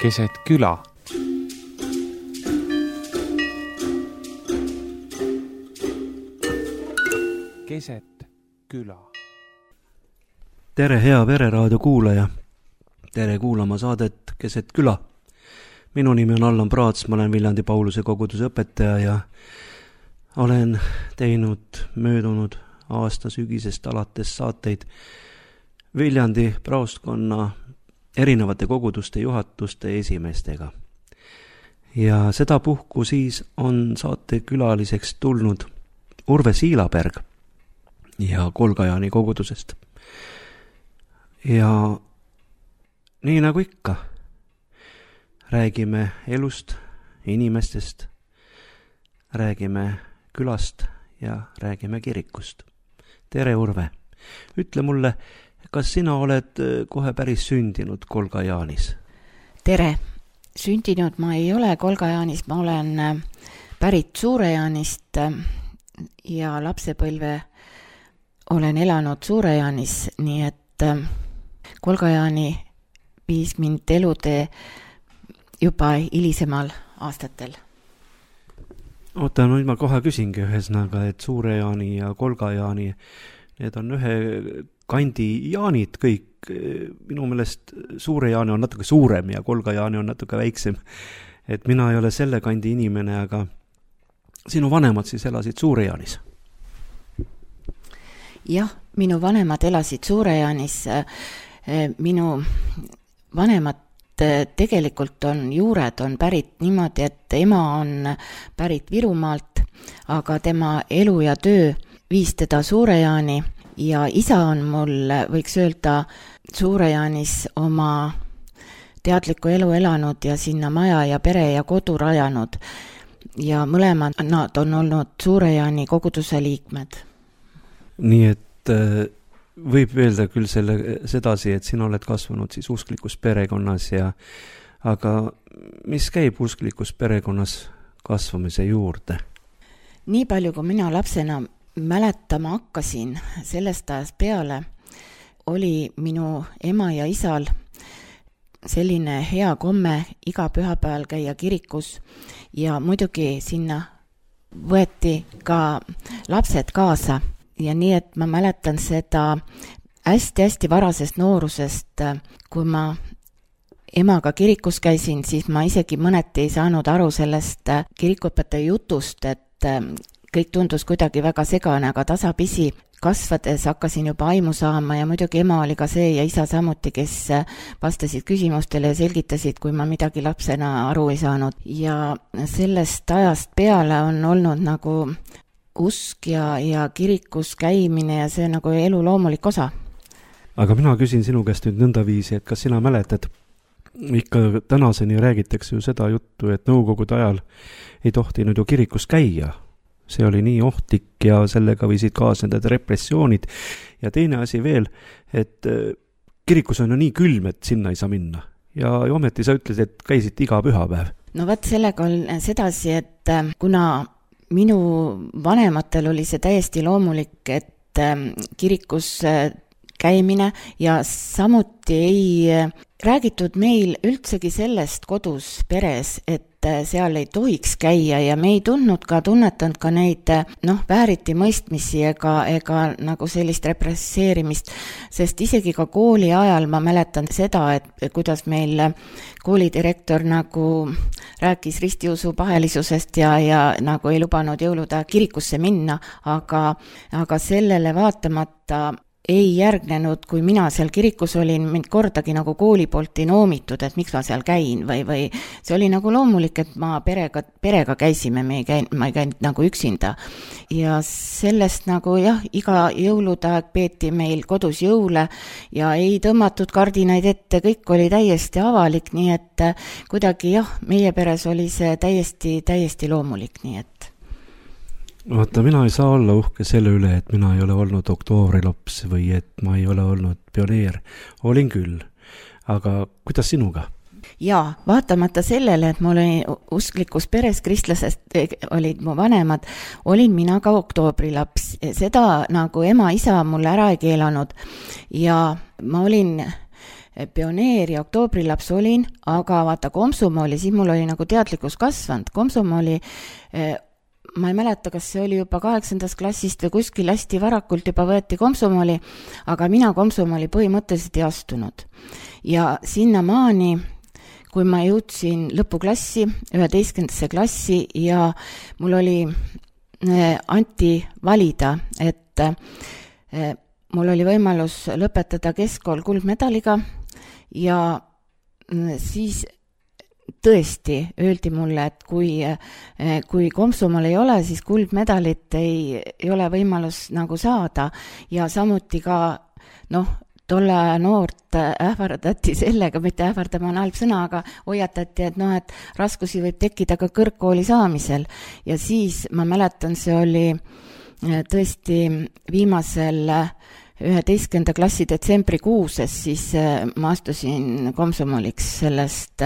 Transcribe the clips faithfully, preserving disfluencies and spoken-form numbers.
keset küla. Keset küla. Tere, hea Vereraadio kuulaja. Tere kuulama saadet Keset küla. Minu nimi on Allan Praats, ma olen Viljandi Pauluse koguduse õpetaja ja olen teinud möödunud aasta sügisest alates saateid Viljandi praostkonna erinevate koguduste juhatuste esimeestega. Ja sedapuhku siis on saate külaliseks tulnud Urve Siilaberg ja Kolgajaani kogudusest. Ja nii nagu ikka, räägime elust, inimestest, räägime külast ja räägime kirikust. Tere, Urve! Ütle mulle, kas sina oled kohe päris sündinud Kolgajaanis? Tere! Sündinud ma ei ole Kolgajaanis, ma olen pärit Suurejaanist ja lapsepõlve olen elanud Suurejaanis, nii et Kolgajaani viis mind elutee juba hilisemal aastatel. Oota, nüüd ma kohe küsingi ühesõnaga, et Suurejaani ja Kolgajaani, need on ühe kandi jaanid kõik. Minu meelest Suurejaani on natuke suurem ja Kolgajaani on natuke väiksem. Et mina ei ole selle kandi inimene, aga sinu vanemad siis elasid Suurejaanis? Jah, minu vanemad elasid Suurejaanis. Minu vanemad tegelikult on juured, on pärit niimoodi, et ema on pärit Virumaalt, aga tema elu ja töö viis teda Suurejaani ja isa on mul, võiks öelda, Suurejaanis oma teadlikku elu elanud ja sinna maja ja pere ja kodu rajanud. Ja mõlemad nad on olnud Suurejaani koguduse liikmed. Nii et võib öelda küll selle, sedasi, et sina oled kasvanud siis usklikus perekonnas ja aga mis käib usklikus perekonnas kasvamise juurde? Nii palju, kui mina lapsena mäletama hakkasin sellest ajast peale, oli minu ema ja isal selline hea komme iga pühapäeval käia kirikus ja muidugi sinna võeti ka lapsed kaasa. Ja nii, et ma mäletan seda hästi-hästi varasest noorusest, kui ma emaga kirikus käisin, siis ma isegi mõneti ei saanud aru sellest kirikuõpetaja jutust, et kõik tundus kuidagi väga segane, aga tasapisi kasvades hakkasin juba aimu saama ja muidugi ema oli ka see ja isa samuti, kes vastasid küsimustele ja selgitasid, kui ma midagi lapsena aru ei saanud. Ja sellest ajast peale on olnud nagu usk ja, ja kirikus käimine ja see nagu elu loomulik osa. Aga mina küsin sinu käest nüüd nõnda viisi, et kas sina mäletad, ikka tänaseni räägitakse ju seda juttu, et nõukogude ajal ei tohtinud ju kirikus käia. See oli nii ohtlik ja sellega võisid kaasneda repressioonid. Ja teine asi veel, et kirikus on ju nii külm, et sinna ei saa minna. Ja ometi sa ütled, et käisid iga pühapäev. No võt, sellega on sedasi, et kuna minu vanematel oli see täiesti loomulik, et kirikus käimine ja samuti ei räägitud meil üldsegi sellest kodus peres, et seal ei tohiks käia ja me ei tundnud ka, tunnetanud ka neid noh, vääriti mõistmisi ega, ega nagu sellist represseerimist, sest isegi ka kooli ajal ma mäletan seda, et kuidas meil koolidirektor nagu rääkis ristiusu pahelisusest ja, ja nagu ei lubanud jõuluda kirikusse minna, aga, aga sellele vaatamata ei järgnenud, kui mina seal kirikus olin, mind kordagi nagu kooli poolt ei noomitud, et miks ma seal käin või, või see oli nagu loomulik, et ma perega, perega käisime, me ei käinud, ma ei käinud nagu üksinda. Ja sellest nagu jah, iga jõuludaeg peeti meil kodus jõule ja ei tõmmatud kardinaid ette, kõik oli täiesti avalik, nii et kuidagi jah, meie peres oli see täiesti, täiesti loomulik, nii et Vaata, mina ei saa olla uhke selle üle, et mina ei ole olnud oktoovrilaps või et ma ei ole olnud pioneer. Olin küll. Aga kuidas sinuga? Jaa, vaatamata sellele, et ma olin usklikus peres, kristlasest olid mu vanemad, olin mina ka oktoobrilaps. Seda nagu ema, isa mulle ära ei keelanud. Ja ma olin pioneer ja oktoobrilaps olin, aga vaata Komsomooli, siis mul oli nagu teadlikkus kasvanud. Komsomooli, ma ei mäleta, kas see oli juba kaheksandast klassist või kuskil hästi varakult juba võeti Komsomooli, aga mina Komsomooli põhimõtteliselt ei astunud. Ja sinna maani, kui ma jõudsin lõpuklassi, üheteistkümnendasse klassi ja mul oli anti valida, et mul oli võimalus lõpetada keskkool kuldmedaliga ja siis tõesti öeldi mulle, et kui, kui Komsomool ei ole, siis kuldmedalit ei, ei ole võimalus nagu saada ja samuti ka noh, tolle noort ähvardati sellega, mitte ähvardama on halb sõna, aga hoiatati, et noh, et raskusi võib tekkida ka kõrgkooli saamisel ja siis ma mäletan, see oli tõesti viimasel üheteistkümnenda klassi detsembrikuuses, siis ma astusin Komsomooliks sellest,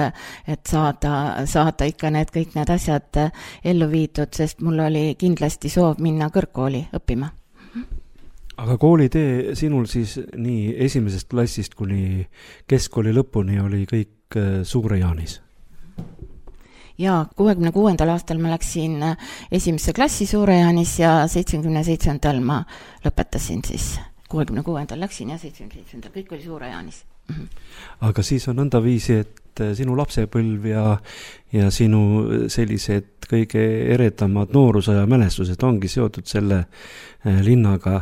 et saada, saada ikka need kõik need asjad ellu viidud, sest mul oli kindlasti soov minna kõrgkooli õppima. Aga koolitee sinul siis nii esimesest klassist kuni keskkooli lõpuni oli kõik Suure-Jaanis? Jaa, kuuekümne kuuendal aastal ma läksin esimesse klassi Suure-Jaanis ja seitsmekümne seitsmendal ma lõpetasin siis. kuuekümne kuuendal läksin ja seitsmekümne seitsmendal, kõik oli Suure-Jaanis. Aga siis on nõnda viisi, et sinu lapsepõlv ja, ja sinu sellised kõige eredamad noorusaja mälestused ongi seotud selle linnaga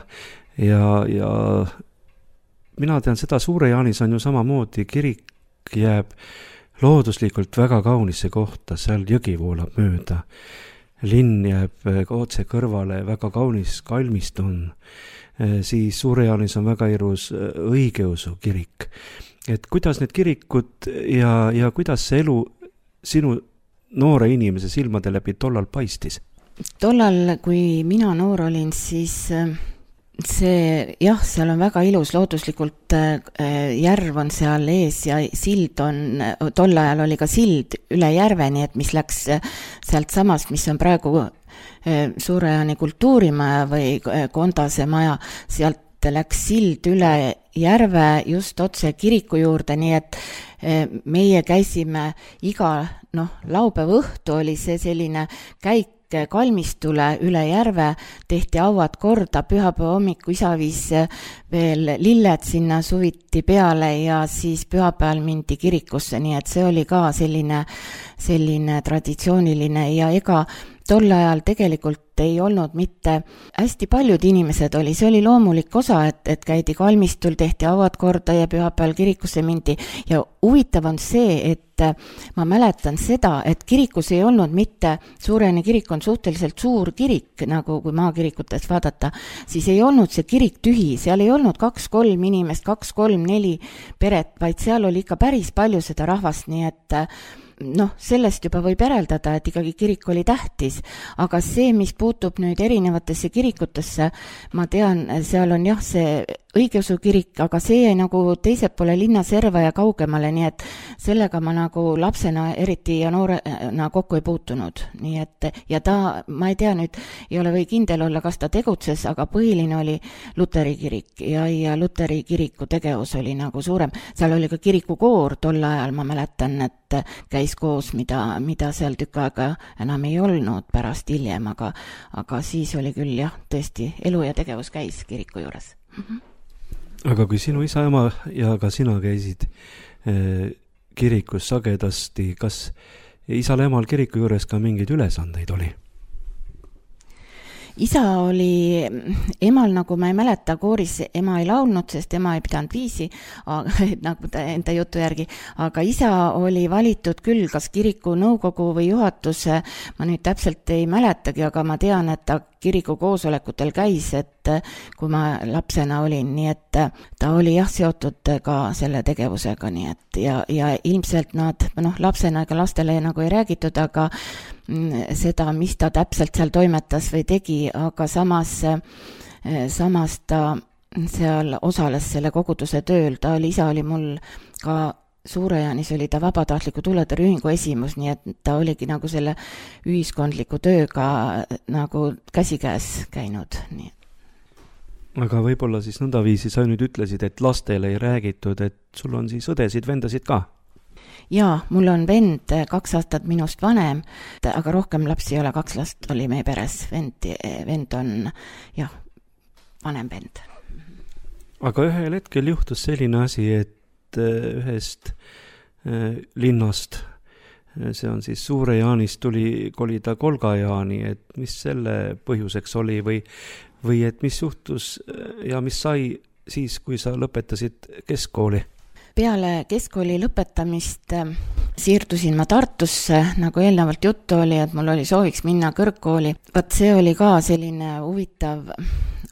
ja, ja mina tean seda, Suure-Jaanis on ju samamoodi, kirik jääb looduslikult väga kaunisse kohta, seal jõgi voolab mööda. Linn jääb otse kõrvale, väga kaunis kalmist on. Siis Suure-Jaanis on väga irus õigeusu kirik. Et kuidas need kirikud ja, ja kuidas see elu sinu noore inimese silmade läbi tollal paistis? Tollal, kui mina noor olin, siis see, jah, seal on väga ilus, looduslikult järv on seal ees ja sild on, tol ajal oli ka sild üle järveni, et mis läks sealt samast, mis on praegu Suure-Jaani kultuurimaja või Kondase maja, sealt läks sild üle järve just otse kiriku juurde, nii et meie käisime iga, noh, laupäeva õhtu oli see selline käik kalmistule üle järve, tehti auad korda, pühapäeva hommiku isa viis veel lilled sinna suviti peale ja siis pühapäeval mindi kirikusse, nii et see oli ka selline, selline traditsiooniline ja ega tol ajal tegelikult ei olnud mitte hästi paljud inimesed oli, see oli loomulik osa, et, et käidi kalmistul, tehti auad korda ja pühapäeval kirikusse mindi ja huvitav on see, et ma mäletan seda, et kirikus ei olnud mitte, Suure-Jaani kirik on suhteliselt suur kirik, nagu kui maakirikutes vaadata, siis ei olnud see kirik tühi, seal ei olnud kaks-kolm inimest, kaks-kolm-neli peret, vaid seal oli ikka päris palju seda rahvast, nii et noh, sellest juba võib järeldada, et ikkagi kirik oli tähtis, aga see, mis puutub nüüd erinevatesse kirikutesse, ma tean, seal on jah, see õigeusu kirik, aga see jäi nagu teiselt poole linna serva ja kaugemale, nii et sellega ma nagu lapsena eriti ja noorena kokku ei puutunud. Nii et, ja ta, ma ei tea nüüd, ei ole või kindel olla, kas ta tegutses, aga põhiline oli Luteri kirik ja, ja Luteri kiriku tegevus oli nagu suurem. Seal oli ka kirikukoor tol ajal, ma mäletan, et käis koos, mida, mida seal tükk aega enam ei olnud pärast hiljem, aga, aga siis oli küll jah, tõesti elu ja tegevus käis kiriku juures. Mm-hmm. Aga kui sinu isa, ema ja ka sina käisid eh, kirikus sagedasti, kas isal ja emal kiriku juures ka mingeid ülesandeid oli? Isa oli, emal nagu ma ei mäleta, kooris ema ei laulnud, sest ema ei pidanud viisi, nagu ta enda jutu järgi, aga isa oli valitud küll, kas kiriku nõukogu või juhatuse, ma nüüd täpselt ei mäletagi, aga ma tean, et ta kiriku koosolekutel käis, et kui ma lapsena olin, nii et ta oli jah seotud ka selle tegevusega, nii et ja, ja ilmselt nad, noh, lapsena ega lastele nagu ei räägitud, aga seda, mis ta täpselt seal toimetas või tegi, aga samas, samas ta seal osales selle koguduse tööl, ta oli, isa oli mul ka Suure-Jaanis oli ta vabatahtliku tuletõrjeühingu esimus, nii et ta oligi nagu selle ühiskondliku tööga nagu käsikäes käinud. Nii. aga võib-olla siis nõndaviisi sa nüüd ütlesid, et lastele ei räägitud, et sul on siis õdesid, vendasid ka? Jaa, mul on vend kaks aastat minust vanem, aga rohkem lapsi ei ole, kaks last oli meie peres. Vend, vend on, jah, vanem vend. Aga ühel hetkel juhtus selline asi, et ühest linnast, see on siis Suure-Jaanist, tuli kolida Kolga-Jaani, et mis selle põhjuseks oli või, või et mis juhtus ja mis sai siis, kui sa lõpetasid keskkooli? Peale keskkooli lõpetamist siirdusin ma Tartusse, nagu eelnevalt juttu oli, et mul oli sooviks minna kõrgkooli. Vaat see oli ka selline huvitav,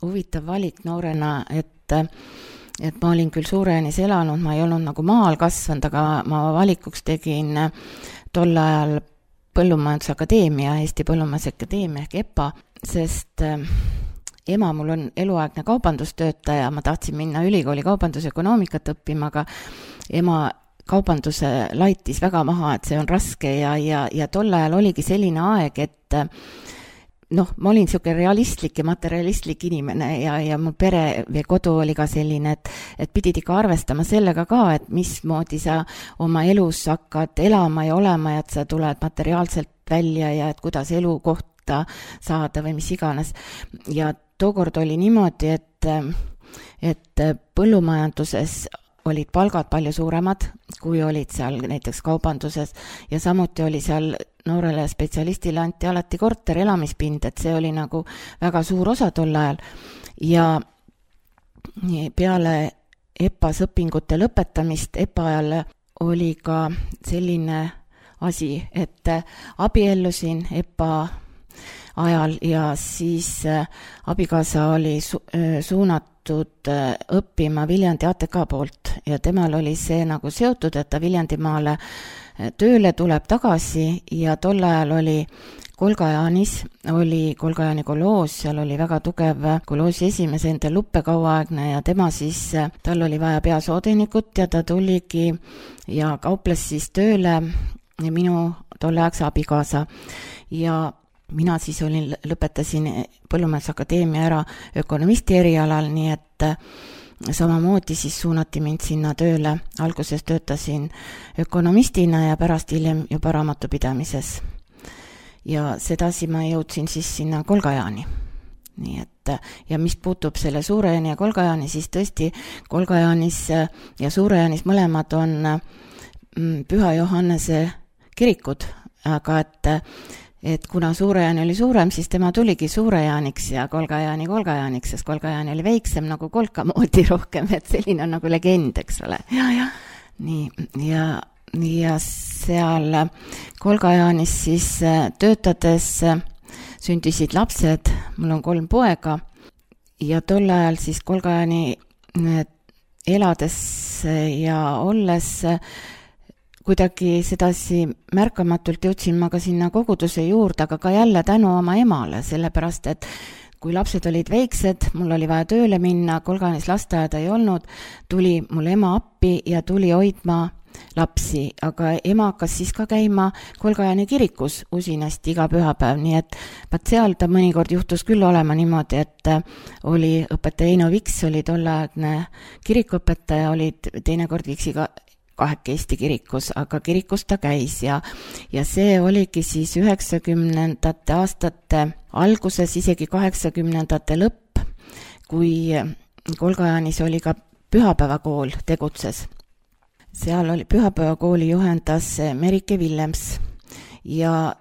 huvitav valik noorena, et, et ma olin küll Suure-Jaanis elanud, ma ei olnud nagu maal kasvanud, aga ma valikuks tegin tol ajal Põllumajandusakadeemia, Eesti Põllumajandusakadeemia ehk E P A, sest ema mul on eluaegne kaubandustöötaja, ma tahtsin minna ülikooli kaubandusökonoomikat õppima, aga ema kaubanduse laitis väga maha, et see on raske ja, ja, ja tol ajal oligi selline aeg, et noh, ma olin siuke realistlik ja materialistlik inimene ja, ja mu pere või kodu oli ka selline, et, et pidid ikka arvestama sellega ka, et mismoodi sa oma elus hakkad elama ja olema ja et sa tuled materiaalselt välja ja et kuidas elukoht saada või mis iganes. Ja tookord oli niimoodi, et, et põllumajanduses olid palgad palju suuremad, kui olid seal näiteks kaubanduses ja samuti oli seal noorele spetsialistile anti alati korter, elamispind, et see oli nagu väga suur osa tol ajal. Ja peale E P A-s õpingute lõpetamist E P A ajal oli ka selline asi, et abiellusin E P A ajal ja siis abikaasa oli su- suunatud õppima Viljandi A T K poolt ja temal oli see nagu seotud, et ta Viljandimaale tööle tuleb tagasi ja tol ajal oli Kolga-Jaanis, oli Kolga-Jaani koloos, seal oli väga tugev koloosi esimees enda Luppe kauaaegne ja tema siis, tal oli vaja peasoodenikut ja ta tuligi ja kauples siis tööle minu tolleaegse abikaasa ja mina siis olin, lõpetasin Põllumajandusakadeemia ära ökonomisti erialal, nii et samamoodi siis suunati mind sinna tööle. Alguses töötasin ökonomistina ja pärast hiljem juba raamatupidamises. Ja sedasi ma jõudsin siis sinna Kolga-Jaani. Nii et, ja mis puutub selle Suure-Jaani ja Kolga-Jaani, siis tõesti Kolga-Jaanis ja Suure-Jaanis mõlemad on Püha Johannese kirikud, aga et et kuna Suure-Jaani oli suurem, siis tema tuligi Suure-Jaaniks ja Kolga-Jaani Kolga-Jaaniks, sest Kolga-Jaani oli väiksem nagu Kolka moodi rohkem, et selline on nagu legend, eks ole. Ja, ja. Nii, ja, ja seal Kolga-Jaanis siis töötades sündisid lapsed, mul on kolm poega ja tol ajal siis Kolga-Jaani elades ja olles kuidagi sedasi märkamatult jõudsin ma ka sinna koguduse juurde, aga ka jälle tänu oma emale, sellepärast et kui lapsed olid väiksed, mul oli vaja tööle minna, Kolga-Jaanis lasteaeda ei olnud, tuli mul ema appi ja tuli hoidma lapsi, aga ema hakkas siis ka käima Kolga-Jaani kirikus usinasti iga pühapäev, nii et vaat seal ta mõnikord juhtus küll olema niimoodi, et oli õpetaja Eino Viks, oli tolleaegne kirikuõpetaja, olid teinekord Viksiga kaheke Eesti kirikus, aga kirikus ta käis ja, ja see oligi siis üheksakümnendate aastate alguses, isegi kaheksakümnendate lõpp, kui Kolga-Jaanis oli ka pühapäevakool tegutses. Seal oli pühapäevakooli juhendas Merike Villems ja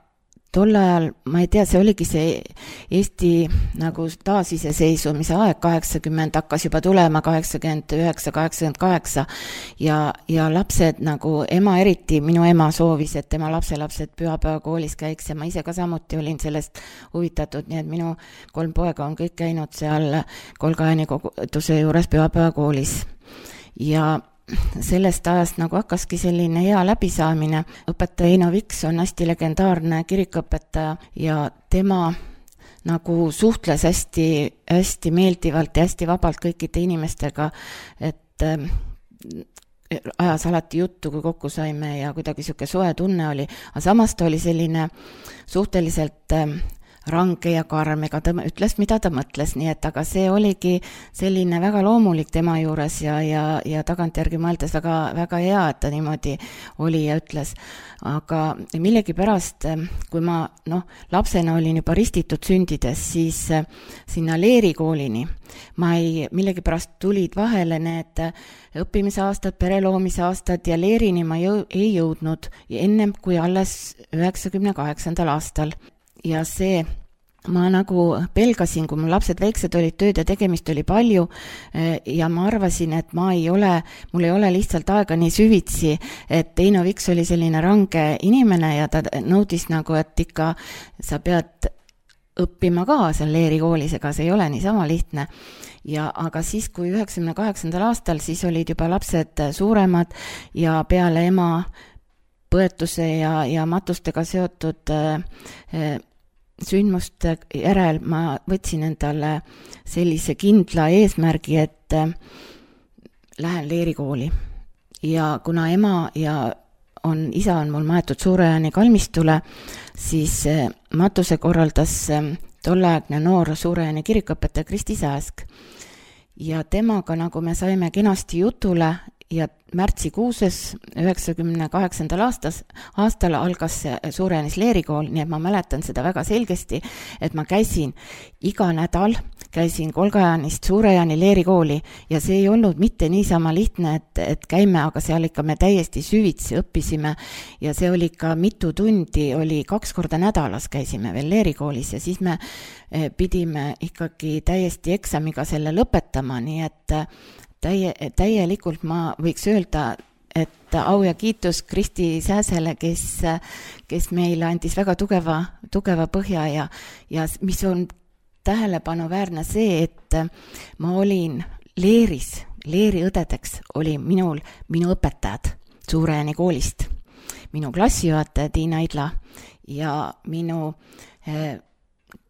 tol ajal, ma ei tea, see oligi see Eesti nagu taasiseseisvumise aeg, kaheksakümmend hakkas juba tulema, kaheksakümmend üheksa, kaheksakümmend kaheksa ja, ja lapsed nagu ema eriti, minu ema soovis, et tema lapselapsed pühapäevakoolis käiks ja ma ise ka samuti olin sellest huvitatud, nii et minu kolm poega on kõik käinud seal Kolga-Jaani koguduse juures pühapäevakoolis ja sellest ajast nagu hakkaski selline hea läbisaamine. Õpetaja Eino Viks on hästi legendaarne kirikuõpetaja ja tema nagu suhtles hästi, hästi meeldivalt ja hästi vabalt kõikide inimestega, et äh, ajas alati juttu, kui kokku saime ja kuidagi siuke soe tunne oli, aga samas ta oli selline suhteliselt äh, range ja karm, ega ta ütles, mida ta mõtles, nii et aga see oligi selline väga loomulik tema juures ja, ja, ja tagantjärgi mõeldes väga, väga hea, et ta niimoodi oli ja ütles. Aga millegipärast, kui ma noh, lapsena olin juba ristitud sündides, siis sinna leerikoolini ma ei, millegipärast tulid vahele need õppimise aastad, pereloomise aastad ja leerini ma jõu, ei jõudnud ennem kui alles üheksakümne kaheksandal aastal. Ja see, ma nagu pelgasin, kui mul lapsed väiksed olid, tööd ja tegemist oli palju ja ma arvasin, et ma ei ole, mul ei ole lihtsalt aega nii süvitsi, et Eino Viks oli selline range inimene ja ta nõudis nagu, et ikka sa pead õppima ka seal leerikoolis, ega see ei ole niisama lihtne. Ja aga siis, kui üheksakümne kaheksandal aastal, siis olid juba lapsed suuremad ja peale ema põetuse ja, ja matustega seotud äh, sündmuste järel ma võtsin endale sellise kindla eesmärgi, et äh, lähen leerikooli. Ja kuna ema ja on, isa on mul maetud Suure-Jaani kalmistule, siis äh, matuse korraldas äh, tolleaegne noor Suure-Jaani kirikuõpetaja Kristi Sääsk. Ja temaga, nagu me saime kenasti jutule, ja märtsikuuses üheksakümne kaheksandal aastas, aastal algas Suure-Jaanis leerikool, nii et ma mäletan seda väga selgesti, et ma käisin iga nädal, käisin Kolga-Jaanist Suure-Jaani leerikooli ja see ei olnud mitte niisama lihtne, et, et käime, aga seal ikka me täiesti süvitsi õppisime ja see oli ka mitu tundi, oli kaks korda nädalas käisime veel leerikoolis ja siis me pidime ikkagi täiesti eksamiga selle lõpetama, nii et Täie, täielikult ma võiks öelda, et au ja kiitus Kristi Sääsele, kes, kes meile andis väga tugeva, tugeva põhja ja, ja mis on tähelepanuväärne see, et ma olin leeris, leeriõdedeks oli minul, minu õpetajad Suure-Jaani koolist, minu klassijuhataja Tiina Idla ja minu eh,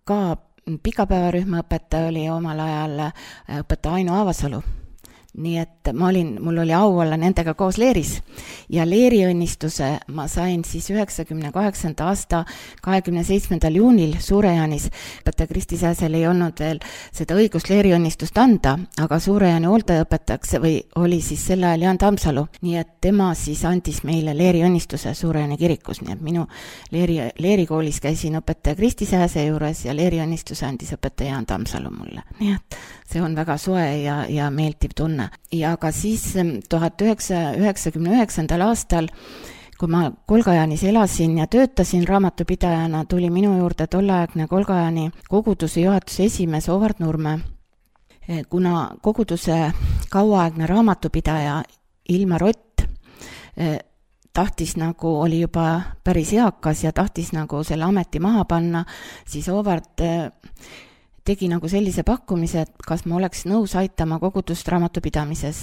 ka pikapäevarühma õpetaja oli omal ajal õpetaja Aino Aavasalu. Nii et ma olin, mul oli au olla nendega koos leeris ja leeriõnnistuse ma sain siis üheksakümne kaheksanda aasta kahekümne seitsmendal juunil Suure-Jaanis. Õpetaja Kristi Sääsel ei olnud veel seda õigust leeriõnnistust anda, aga Suure-Jaani hooldajaõpetajaks või oli siis sel ajal Jaan Tammsalu. Nii et tema siis andis meile leeriõnnistuse Suure-Jaani kirikus, nii et minu leeri, leerikoolis käisin õpetaja Kristi Sääse juures ja leeriõnnistuse andis õpetaja Jaan Tammsalu mulle. Nii et see on väga soe ja, ja meeldiv tunne. Ja ka siis tuhat üheksasada üheksakümne üheksandal aastal, kui ma Kolga-Jaanis elasin ja töötasin raamatupidajana, tuli minu juurde tolleaegne Kolga-Jaani koguduse juhatuse esimees Ovard Nurme. Kuna koguduse kauaaegne raamatupidaja Ilmar Ott tahtis nagu, oli juba päris eakas ja tahtis nagu selle ameti maha panna, siis Ovard tegi nagu sellise pakkumise, et kas ma oleks nõus aitama kogudust raamatupidamises.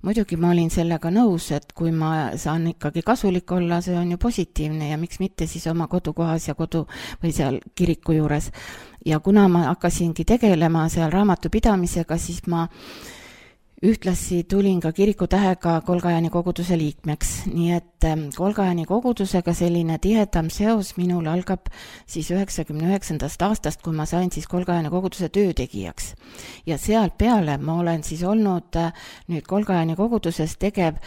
Muidugi ma olin sellega nõus, et kui ma saan ikkagi kasulik olla, see on ju positiivne ja miks mitte siis oma kodukohas ja kodu või seal kiriku juures. Ja kuna ma hakkasingi tegelema seal raamatupidamisega, siis ma ühtlasi tulin ka kirikutähega Kolga-Jaani koguduse liikmeks, nii et Kolga-Jaani kogudusega selline tihedam seos minul algab siis üheksakümne üheksandast aastast, kui ma sain siis Kolga-Jaani koguduse töötegijaks. Ja sealt peale ma olen siis olnud nüüd Kolga-Jaani koguduses tegev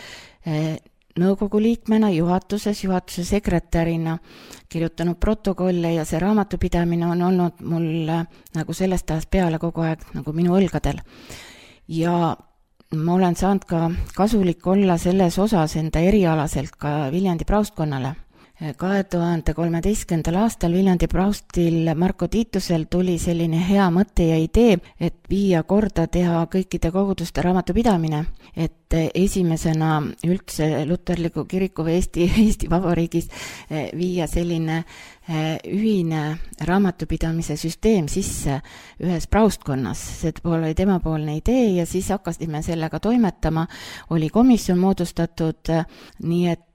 nõukogu liikmena, juhatuses, juhatuse sekretärina, kirjutanud protokolle ja see raamatupidamine on olnud mul nagu sellest ajast peale kogu aeg nagu minu õlgadel. Ja ma olen saanud ka kasulik olla selles osas enda erialaselt ka Viljandi praustkonnale. kahe tuhande kolmeteistkümnendal aastal Viljandi praustil Marko Tiitusel tuli selline hea mõte ja idee, et viia korda teha kõikide koguduste raamatupidamine, et esimesena üldse luterliku kiriku või Eesti, Eesti Vabariigis viia selline ühine raamatupidamise süsteem sisse ühes praustkonnas. See oli temapoolne idee ja siis hakkasime sellega toimetama. Oli komisjon moodustatud, nii et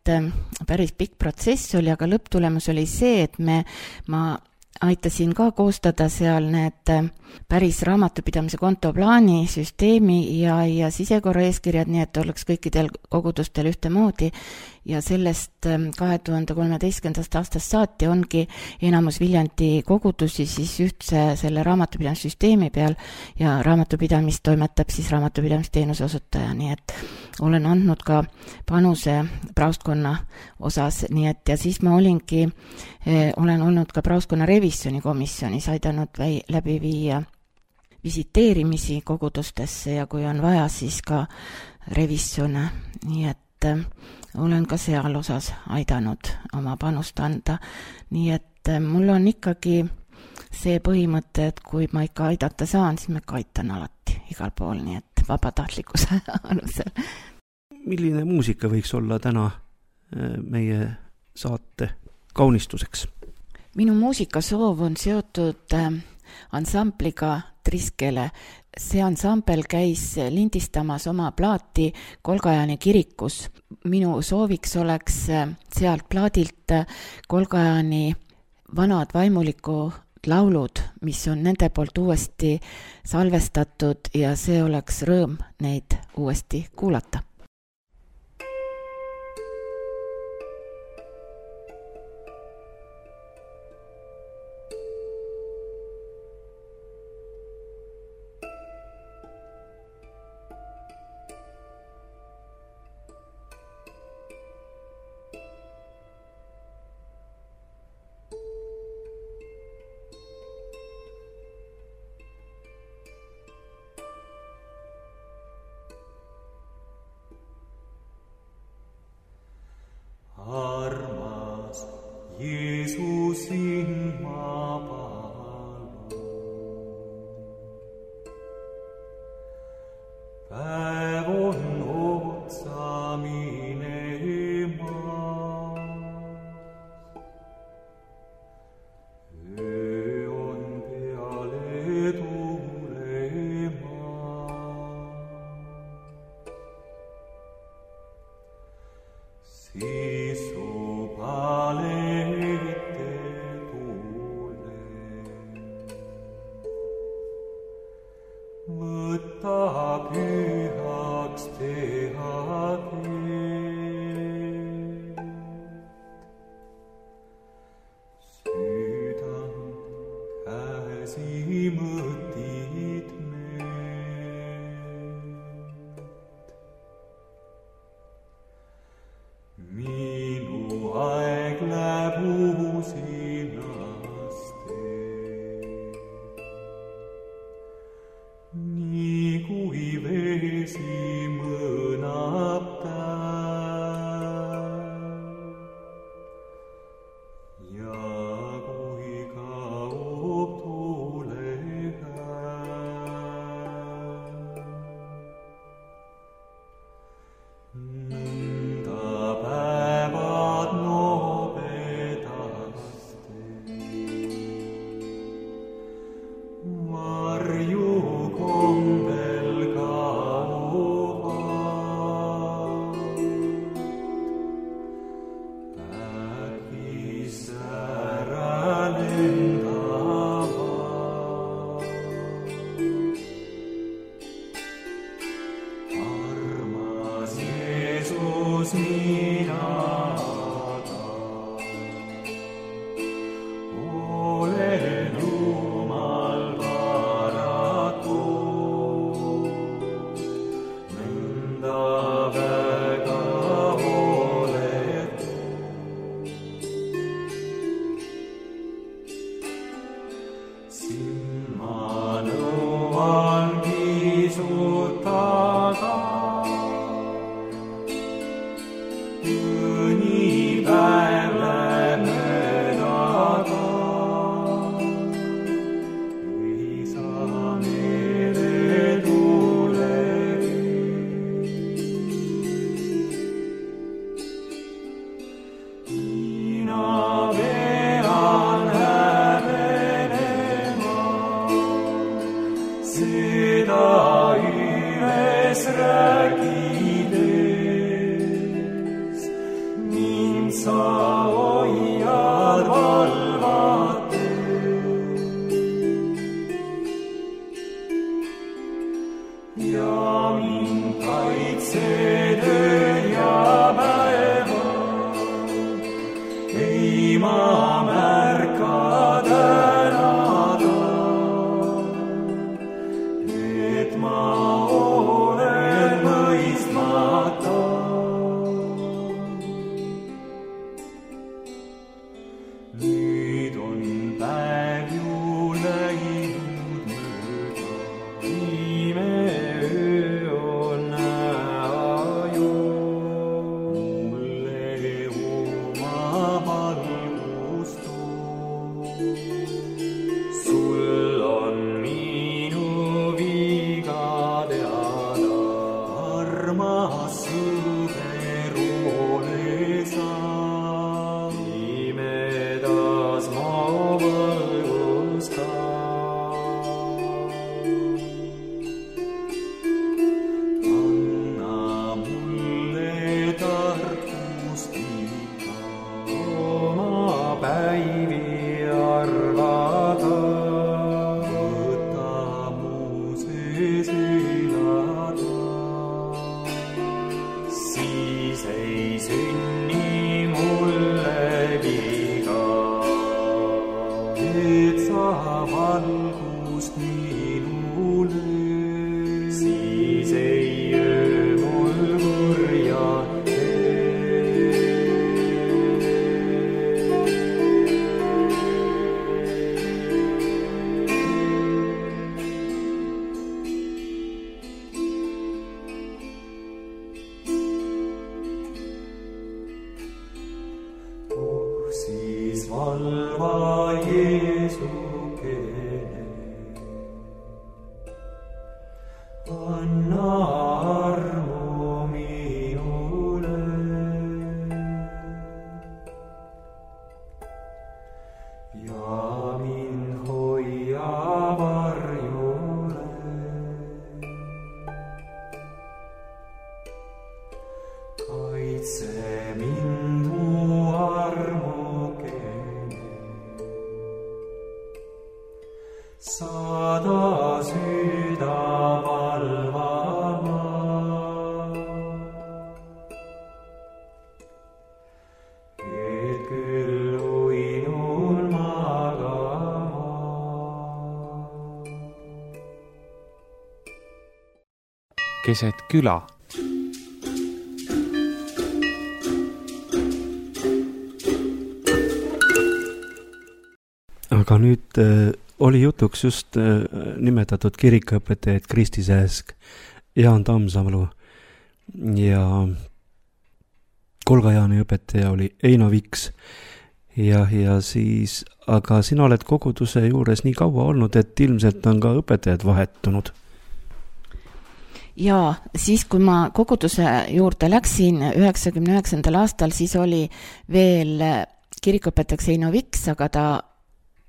päris pikk protsess oli, aga lõpptulemus oli see, et me, ma aitasin ka koostada seal need päris raamatupidamise kontoplaani, süsteemi ja, ja sisekorraeeskirjad, nii et oleks kõikidel kogudustel ühtemoodi ja sellest kahe tuhande kolmeteistkümnendast aastast saati ongi enamus Viljandi kogudusi siis ühtse selle raamatupidamissüsteemi peal ja raamatupidamist toimetab siis raamatupidamisteenuse osutaja, nii et olen andnud ka panuse praostkonna osas, nii et ja siis ma olingi, eh, olen olnud ka praostkonna revisjoni komisjonis, aidanud väi, läbi viia visiteerimisi kogudustesse ja kui on vaja, siis ka revisjone, nii et eh, olen ka seal osas aidanud oma panust anda, nii et eh, mul on ikkagi see põhimõte, et kui ma ikka aidata saan, siis ma ikka aitan alati igal pool, nii et vabatahtlikkuse alusel. Milline muusika võiks olla täna meie saate kaunistuseks? Minu muusikasoov on seotud ansambliga Triskele. See ansambel käis lindistamas oma plaati Kolgajani kirikus. Minu sooviks oleks sealt plaadilt Kolgajani vanad vaimuliku laulud, mis on nende poolt uuesti salvestatud ja see oleks rõõm neid uuesti kuulata. Armas Jeesusin ma palun, päev on otsa minemas, öö on peale tulemas, siis pühaks teha teed. Südant käsi mõtid meelt. Minu aeg läheb uusinast teed. Nii kui vesi mõnab päev ja kui kaob tuulekäev. Nõnda päevad nobedaste varju kombel kaovad, äkis ära lendavad. Armas Jeesus, mina olen Jumal paraku, nõnda väga hooletu. Sind ma nõuan pisut taga, mõni päev läheb möödaga. Ei saa meele tulegi. Mina pean häbenema seda üles rääkides. Mind sa hoiad valvates. ei ma märka tänada, et ma olen mõistmata. Nüüd on päev ju läinud mööda, ime öö on näha ju. Mulle oma valgust too, sul on minu viga teada, armas sõber ole sa. Imedas ma valgus ka. Anna mulle tarkust iga oma päivi arvata. Võta mu sees elada, siis ei sünni mulle viga, et sa valgust minule, siis ei öö mul kurja tee. Oh, siis valva Jeesukene, anna armu minule. Ja mind hoia varjule, kaitse mind mu armukene, saada süda valvama. Et küll uinun magama. Keset küla. Aga nüüd äh, oli jutuks just äh, nimetatud kirikuõpetajad Kristi Sääsk, Jaan Tammsalu ja Kolga-Jaani õpetaja oli Eino Viks ja, ja siis, aga sina oled koguduse juures nii kaua olnud, et ilmselt on ka õpetajad vahetunud. Jaa, siis kui ma koguduse juurde läksin üheksakümne üheksandal aastal, siis oli veel kirikuõpetajaks Eino Viks, aga ta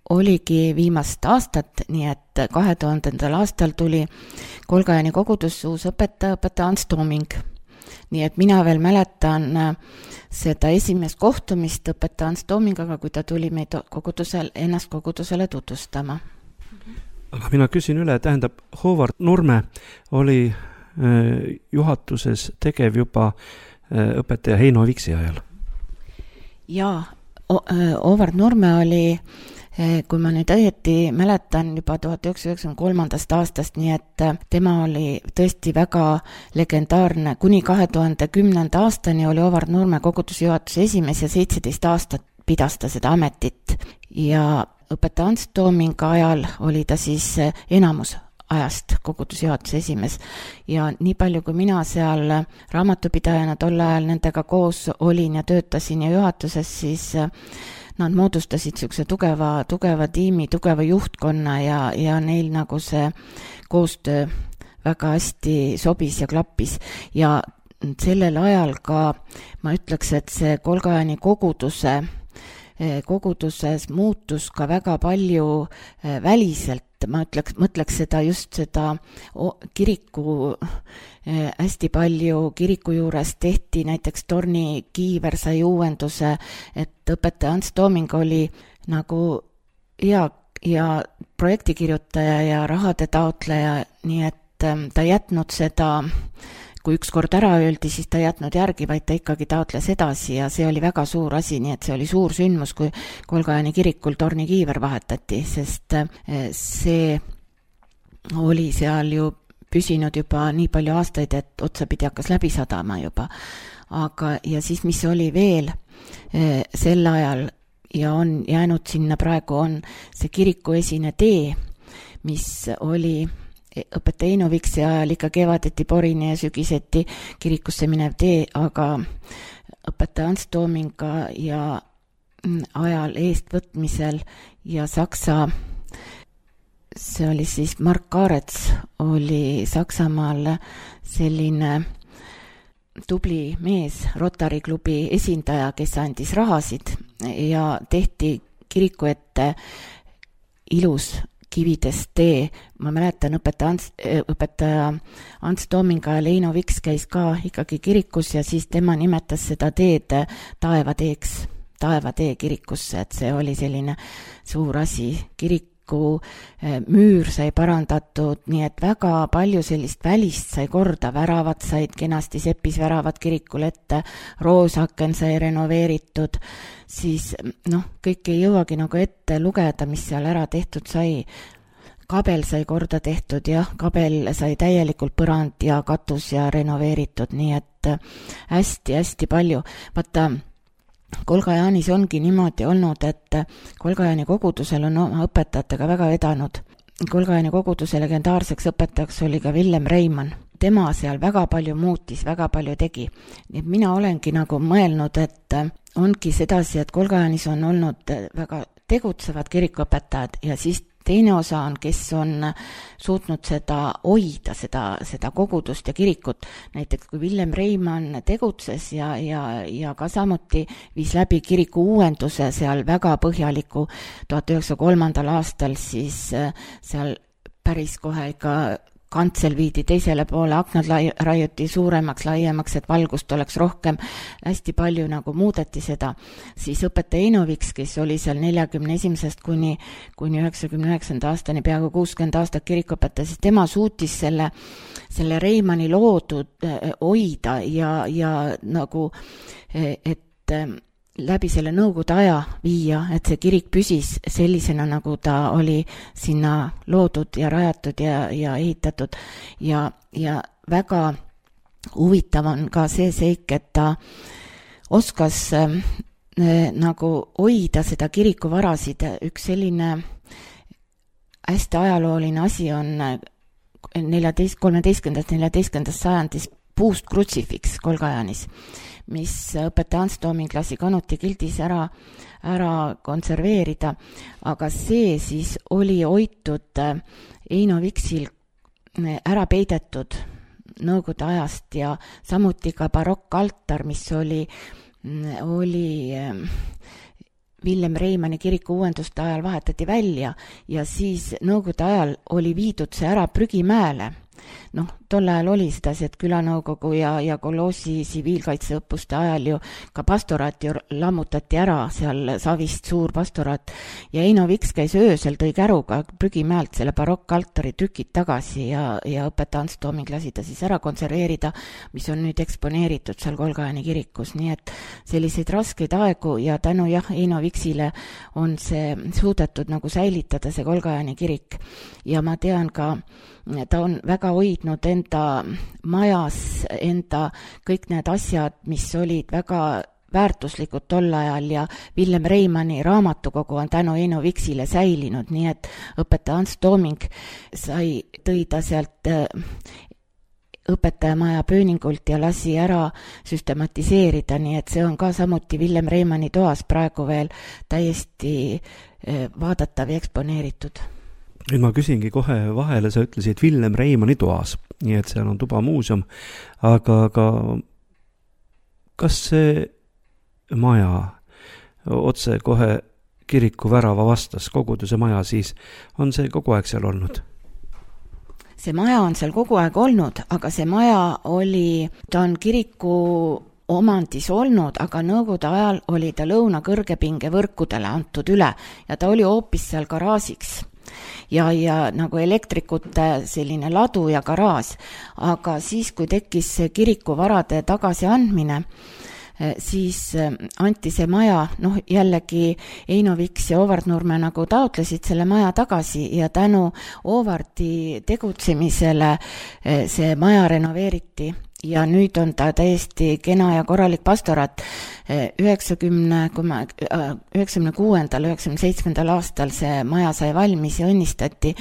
oligi viimast aastat, nii et kahe tuhandendal aastal tuli Kolga-Jaani kogudus uus õpetaja, õpetaja Ants Tooming. Nii et mina veel mäletan seda esimest kohtumist õpetaja Ants Toomingaga, kui ta tuli meid kogudusel, ennast kogudusele tutvustama. Aga mina küsin üle, tähendab, Håvard Nurme oli äh, juhatuses tegev juba äh, õpetaja Heino Viksi ajal. Jaa, Håvard Nurme oli, kui ma nüüd õieti mäletan, juba tuhat üheksasada üheksakümmend kolm aastast, nii et tema oli tõesti väga legendaarne. Kuni kahe tuhande kümnenda aastani oli Håvard Nurme koguduse juhatuse esimees ja seitseteist aastat pidas ta seda ametit. Ja õpetaja Ants Toominga ajal oli ta siis enamus ajast koguduse juhatuse esimees. Ja nii palju, kui mina seal raamatupidajana tol ajal nendega koos olin ja töötasin ja juhatuses, siis nad moodustasid siukse tugeva, tugeva tiimi, tugeva juhtkonna ja, ja neil nagu see koostöö väga hästi sobis ja klappis. Ja sellel ajal ka, ma ütleks, et see Kolga-Jaani koguduse, koguduses muutus ka väga palju väliselt. Ma ütleks, mõtleks seda just seda kiriku, hästi palju kiriku juures tehti, näiteks Torni Kiiver sai uuenduse, et õpetaja Ants Tooming oli nagu hea ja projektikirjutaja ja rahade taotleja, nii et ta jätnud seda kui üks kord ära öeldi, siis ta ei jätnud järgi, vaid ta ikkagi taotles edasi ja see oli väga suur asi, nii et see oli suur sündmus, kui Kolgajani kirikul tornikiiver vahetati, sest see oli seal ju püsinud juba nii palju aastaid, et otsapidi hakkas läbi sadama juba. Aga, ja siis mis oli veel sel ajal ja on jäänud sinna praegu on see kiriku esine tee, mis oli õpetaja Eino Viksi ajal ikka kevadeti Porini ja sügiseti kirikusse minev tee, aga õpetaja Ants Toominga ja ajal eestvõtmisel ja Saksa, see oli siis Mark Kaarets, oli Saksamaal selline tubli mees, Rotary klubi esindaja, kes andis rahasid ja tehti kiriku ette ilus kividest tee. Ma mäletan, õpetaja Ants, õpetaja Ants Toominga ja Eino Viks käis ka ikkagi kirikus ja siis tema nimetas seda teed taevateeks, taevatee kirikusse, et see oli selline suur asi. Kirik müür sai parandatud, nii et väga palju sellist välist sai korda, väravad said kenasti sepis väravad kirikul ette, roosaken sai renoveeritud, siis noh, kõik ei jõuagi nagu ette lugeda, mis seal ära tehtud sai. Kabel sai korda tehtud, jah, kabel sai täielikult põrand ja katus ja renoveeritud, nii et hästi-hästi palju. Vaata, Kolgajaanis ongi niimoodi olnud, et Kolgajani kogudusel on oma õpetajatega väga vedanud. Kolgajani koguduse legendaarseks õpetajaks oli ka Villem Reimann. Tema seal väga palju muutis, väga palju tegi. Nii et mina olengi nagu mõelnud, et ongi sedasi, et Kolgajanis on olnud väga tegutsevad kirikuõpetajad ja siis teine osa on, kes on suutnud seda hoida, seda, seda kogudust ja kirikut. Näiteks kui Villem Reimann tegutses ja, ja, ja ka samuti viis läbi kiriku uuenduse seal väga põhjaliku tuhat üheksasaja kolmandal aastal, siis seal päris kohe ikka kantsel viidi teisele poole, aknad lai, raiuti suuremaks, laiemaks, et valgust oleks rohkem, hästi palju nagu muudeti seda. Siis õpetaja Eino Viks, kes oli seal neljakümne esimesest kuni, kuni üheksakümne üheksanda aastani, peaaegu kuuskümmend aastat kirikuõpetaja, siis tema suutis selle, selle Reimanni loodud hoida ja, ja nagu, et läbi selle nõukogude aja viia, et see kirik püsis sellisena, nagu ta oli sinna loodud ja rajatud ja, ja ehitatud. Ja, ja väga huvitav on ka see seik, et ta oskas äh, nagu hoida seda kirikuvarasid. Üks selline hästi ajalooline asi on neljateist, kolmeteistkümnendast neljateistkümnendast sajandis puust krutsifiks Kolgajanis, mis õpetaja Ants Tooming lasi Kanuti gildis ära, ära konserveerida, aga see siis oli hoitud Eino Viksil ära peidetud nõukogude ajast ja samuti ka barokkaltar, mis oli, oli Villem Reimanni kiriku uuenduste ajal vahetati välja ja siis nõukogude ajal oli viidud see ära prügimäele. Noh, tol ajal oli sedasi, et külanõukogu ja, ja koloosi tsiviilkaitseõppuste ajal ju ka pastoraat ju lammutati ära, seal Savist suur pastoraat ja Eino Viks käis öösel, tõi käruga prügimäelt selle barokkaltari tükid tagasi ja, ja õpetaja Ants Tooming lasi ta siis ära konserveerida, mis on nüüd eksponeeritud seal Kolgajani kirikus, nii et selliseid raskeid aegu ja tänu jah, Eino Viksile on see suudetud nagu säilitada see Kolgajani kirik ja ma tean ka, ta on väga hoidnud enda majas, enda kõik need asjad, mis olid väga väärtuslikud tol ajal ja Villem Reimanni raamatukogu on tänu Eino Viksile säilinud, nii et õpetaja Ants Tooming sai, tõi ta sealt õpetajamaja pööningult ja lasi ära süstematiseerida, nii et see on ka samuti Villem Reimanni toas praegu veel täiesti vaadatav ja eksponeeritud. Nüüd ma küsingi kohe vahele, sa ütlesid Villem Reimanni toas, nii et seal on tuba muuseum, aga, aga kas see maja otse kohe kiriku värava vastas, koguduse maja siis, on see kogu aeg seal olnud? See maja on seal kogu aeg olnud, aga see maja oli, ta on kiriku omandis olnud, aga nõukogude ajal oli ta lõuna kõrgepinge võrkudele antud üle ja ta oli hoopis seal garaažiks. ja, ja nagu elektrikute selline ladu ja garaaž. Aga siis, kui tekkis kirikuvarade tagasiandmine, siis anti see maja, noh jällegi Eino Viks ja Oovard Nurme nagu taotlesid selle maja tagasi ja tänu Oovardi tegutsemisele see maja renoveeriti ja nüüd on ta täiesti kena ja korralik pastorat. üheksakümne kuuendal, üheksakümne seitsmendal aastal see maja sai valmis ja õnnistati,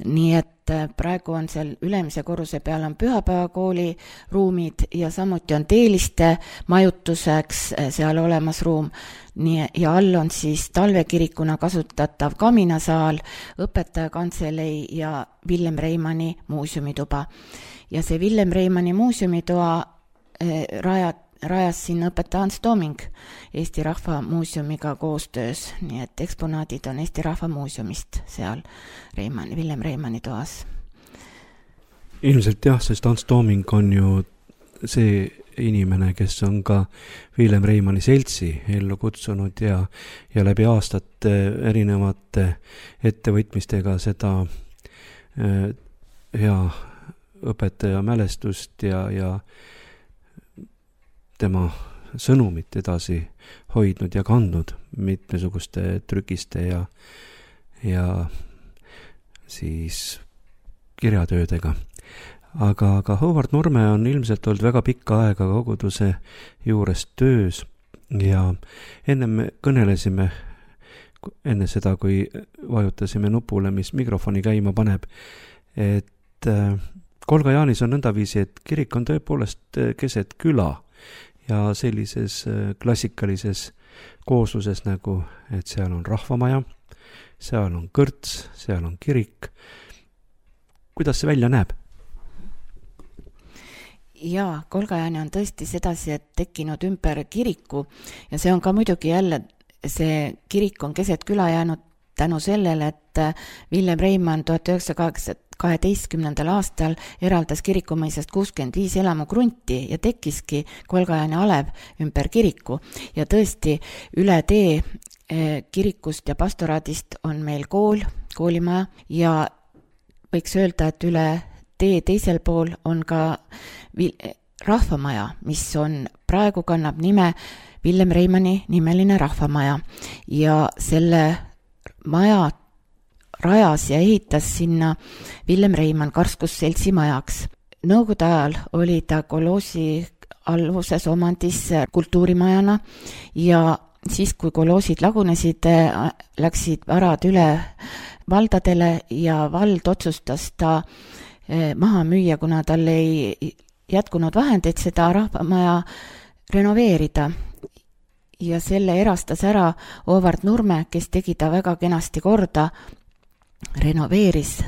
nii et praegu on seal ülemise korruse peal on pühapäevakooli ruumid ja samuti on teeliste majutuseks seal olemas ruum. Nii, ja all on siis talvekirikuna kasutatav kaminasaal, õpetajakantselei ja Villem Reimanni muuseumituba. Ja see Villem Reimanni muuseumitoa rajat rajas siin õpetaja Ants Tooming Eesti Rahva Muuseumiga koostöös, nii et eksponaadid on Eesti Rahva Muuseumist seal Reimann, Villem Reimanni toas. Ilmselt jah, sest Ants Tooming on ju see inimene, kes on ka Villem Reimanni seltsi ellu kutsunud ja, ja läbi aastate erinevate ettevõtmistega seda äh, hea õpetaja mälestust ja, ja tema sõnumit edasi hoidnud ja kandnud mitmesuguste trükiste ja, ja siis kirjatöödega. Aga, aga Oovard Nurme on ilmselt olnud väga pikka aega koguduse juures töös ja enne me kõnelesime, enne seda, kui vajutasime nupule, mis mikrofoni käima paneb, et Kolga Jaanis on nõndaviisi, et kirik on tõepoolest keset küla ja sellises klassikalises koosluses nagu, et seal on rahvamaja, seal on kõrts, seal on kirik. Kuidas see välja näeb? Jaa, Kolgajaani on tõesti sedasi, et tekkinud ümber kiriku ja see on ka muidugi jälle, see kirik on keset küla jäänud tänu sellele, et Villem Reimann tuhat üheksasada kaheteistkümnendal aastal eraldas kirikumõisast kuuskümmend viis elamukrunti ja tekkiski Kolgajaani alev ümber kiriku. Ja tõesti, üle tee kirikust ja pastoraadist on meil kool, koolimaja ja võiks öelda, et üle tee teisel pool on ka rahvamaja, mis on praegu kannab nime Villem Reimanni nimeline rahvamaja ja selle maja rajas ja ehitas sinna Villem Reimann Karskusseltsi majaks. Nõukogude ajal oli ta koloosi alluvuses omandis kultuurimajana ja siis, kui koloosid lagunesid, läksid varad üle valdadele ja vald otsustas ta maha müüa, kuna tal ei jätkunud vahendeid seda rahvamaja renoveerida. Ja selle erastas ära Oovard Nurme, kes tegi ta väga kenasti korda, renoveeris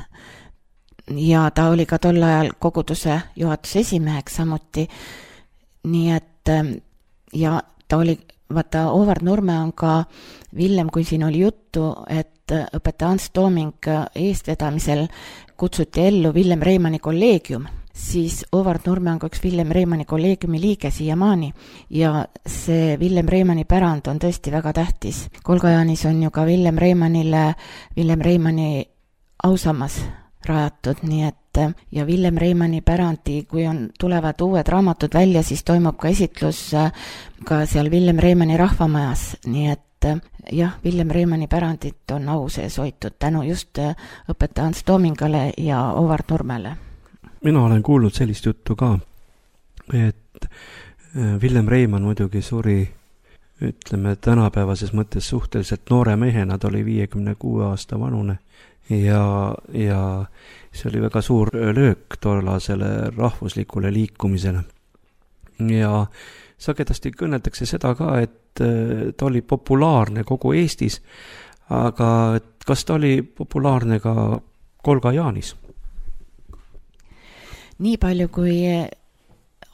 ja ta oli ka tol ajal koguduse juhatuse esimeheks samuti. Nii et ja ta oli, vaata Oovard Nurme on ka Villem, kui siin oli juttu, et õpetaja Ants Tooming eestvedamisel kutsuti ellu Villem Reimanni kolleegium, siis Oovard Nurme on ka üks Villem Reimanni kolleegiumi liige siiamaani ja see Villem Reimanni pärand on tõesti väga tähtis. Kolgajaanis on ju ka Villem Reimannile Villem Reimanni ausammas rajatud, nii et ja Villem Reimanni pärandi, kui on, tulevad uued raamatud välja, siis toimub ka esitlus ka seal Villem Reimanni rahvamajas, nii et jah, Villem Reimanni pärandit on au sees hoitud tänu just õpetaja Ants Toomingale ja Oovard Nurmele. Mina olen kuulnud sellist juttu ka, et Villem Reimann muidugi suri, ütleme, tänapäevases mõttes suhteliselt noore mehena, ta oli viiekümne kuue aasta vanune ja, ja see oli väga suur löök tollasele rahvuslikule liikumisele. Ja sagedasti kõneldakse seda ka, et ta oli populaarne kogu Eestis, aga kas ta oli populaarne ka Kolgajaanis? Nii palju kui